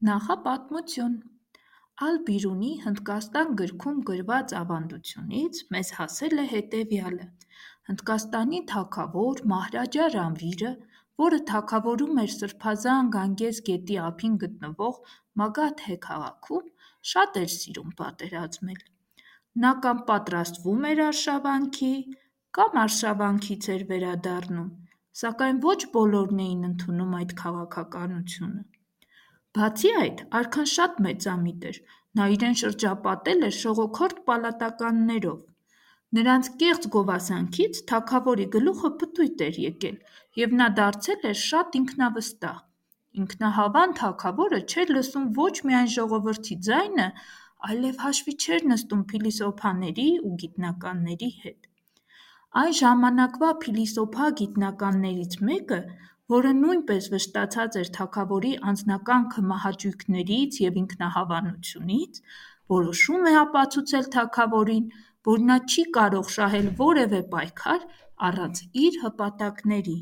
Նախապատմություն Ալ-Բիրունի Հնդկաստան գրքում գրված ավանդությունից մեզ հասել է հետևյալը. Հնդկաստանի թագավոր Մահրաջա Ռամվիրը, որը թագավորում էր Սրբազան Գանգես գետի ափին գտնվող Մագադհե քաղաքում, շատ էր սիրում պատերազմել։ Նա կամ պատրաստվում էր արշավանքի, կամ արշավանքից էր վերադառնում, սակայն ոչ բոլորն էին ընդունում այդ քաղաքականությունը։ Բացի այդ, արքան շատ մեծամիտ էր, նա իրեն շրջապատել էր շողոքորթ պալատականներով։ Նրանց կեղծ գովասանքից թագավորի գլուխը պտույտ էր եկել, և նա դարձել էր շատ ինքնավստահ։ Ինքնահավան թագավորը չէր լսում ոչ միայն ժողովրդի ձայնը, այլև հաշվի չէր նստում փիլիսոփաների ու գիտնականների հետ։ Այն ժամանակվա փիլիսոփա գիտնականներից մեկը, որը նույնպես վշտացած էր թագավորի անձնական քմահաճույքներից և ինքնահավանությունից, որոշում է ապացուցել թագավորին, որ նա չի կարող շահել որևէ պայքար առանց իր հպատակների։